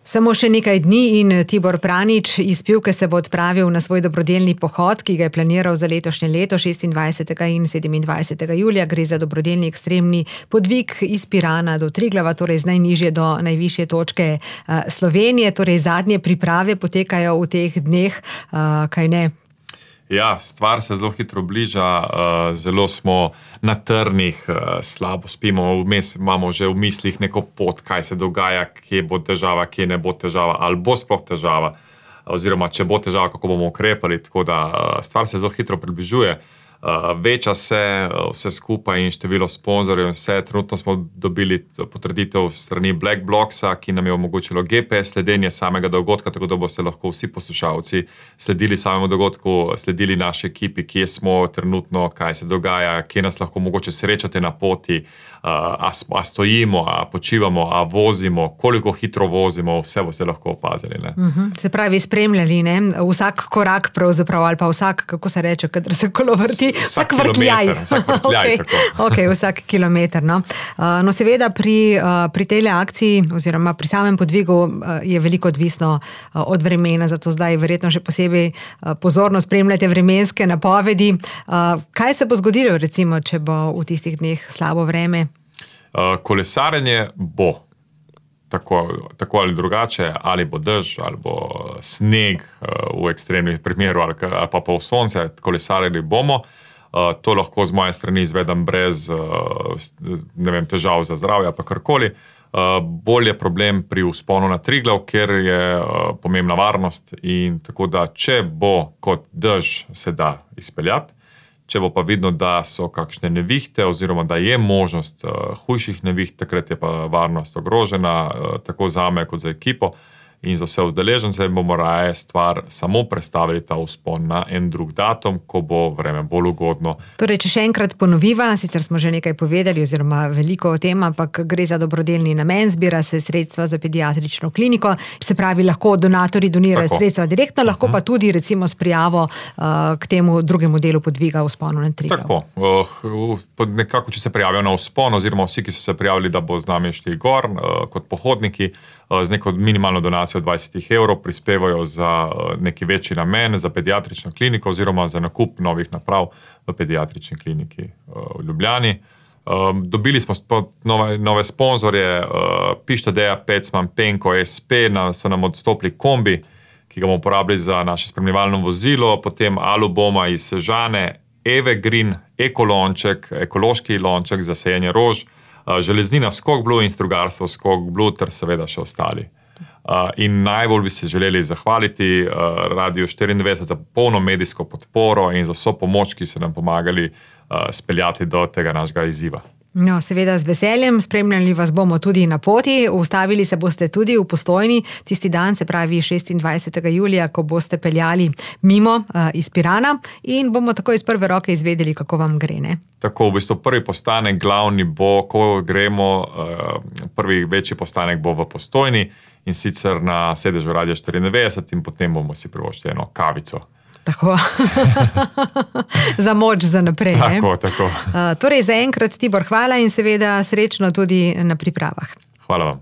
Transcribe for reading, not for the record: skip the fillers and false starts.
Samo še nekaj dni in Tibor Pranič iz Pivke se bo odpravil na svoj dobrodelni pohod, ki ga je planiral za letošnje leto 26. in 27. julija. Gre za dobrodelni ekstremni podvig iz Pirana do Triglava, torej z najnižje do najvišje točke Slovenije. Torej zadnje priprave potekajo v teh dneh, kaj ne? Ja, stvar se zelo hitro bliža, zelo smo na trnih, slabo spimo, vmes imamo že v mislih neko pot, kaj se dogaja, kje bo težava, kje ne bo težava, ali bo sploh težava, oziroma če bo težava, kako bomo ukrepali, tako da stvar se zelo hitro približuje. Veča se vse skupaj in število sponzorjev in vse. Trenutno smo dobili potrditev strani Black Blocksa, ki nam je omogočilo GPS sledenje samega dogodka, tako da boste lahko vsi poslušalci sledili samemu dogodku, sledili naši ekipi, kje smo trenutno, kaj se dogaja, kje nas lahko mogoče srečate na poti, a stojimo, a počivamo, a vozimo, koliko hitro vozimo, vse boste lahko opazili. Ne? Se pravi, spremljali, ne? Vsak korak pravzaprav, ali pa vsak, kako se reče, kadar se kolo vrti, vsak vrtljaj. Vsak kilometer. No, seveda pri tej akciji oziroma pri samem podvigu je veliko odvisno od vremena, zato zdaj verjetno še posebej pozorno spremljate vremenske napovedi. Kaj se bo zgodilo, recimo, če bo v tistih dneh slabo vreme? Kolesarjenje bo. Tako ali drugače, ali bo dež, ali bo sneg v ekstremnih primerih, ali pa v sonce, kolesarili bomo. To lahko z moje strani izvedem brez težav za zdravje, pa karkoli. Bolj je problem pri vzponu na Triglav, ker je pomembna varnost in tako da, če bo kot dež, se da izpeljati. Če bo pa vidno, da so kakšne nevihte oziroma da je možnost hujših neviht, takrat je pa varnost ogrožena, tako zame kot za ekipo in za vse udeležence, bomo raje stvar samo prestavili ta vzpon na en drug datum, ko bo vreme bolj ugodno. Torej, če še enkrat ponoviva, sicer smo že nekaj povedali oziroma veliko o tem, ampak gre za dobrodelni namen, zbira se sredstva za pediatrično kliniko, se pravi, lahko donatorji donirajo sredstva direktno, lahko pa tudi recimo s prijavo k temu drugemu delu podviga vzponu na Triglav. Tako, nekako, če se prijavijo na vzpon oziroma vsi, ki so se prijavili, da bo z nami šli gor kot pohodniki, z neko minimalno donacijo 20 evrov prispevajo za neki večji namen, za pediatrično kliniko oziroma za nakup novih naprav v pediatrični kliniki v Ljubljani. Dobili smo nove sponzorje, Pištadeja, Pecman, Penko, SP, so nam odstopili kombi, ki ga bomo uporabili za naše spremljevalno vozilo, potem Aluboma iz Sežane, Evergreen, ekolonček, ekološki lonček za sajenje rož, železnina Skok Blue in strugarstvo Skok Blue ter seveda še ostali. In najbolj bi se želeli zahvaliti Radio 94 za polno medijsko podporo in za vso pomoč, ki so nam pomagali speljati do tega našega izziva. No, seveda z veseljem, spremljali vas bomo tudi na poti, ustavili se boste tudi v Postojni tisti dan, se pravi 26. julija, ko boste peljali mimo iz Pirana in bomo tako iz prve roke izvedeli, kako vam gre, ne? Tako, v bistvu prvi postanek glavni bo, ko gremo, prvi večji postanek bo v Postojni in sicer na sedežu Radio 94 in potem bomo si privoščili eno kavico. Tako, za moč za naprej. Tako. Torej, za enkrat, Tibor, hvala in seveda srečno tudi na pripravah. Hvala vam.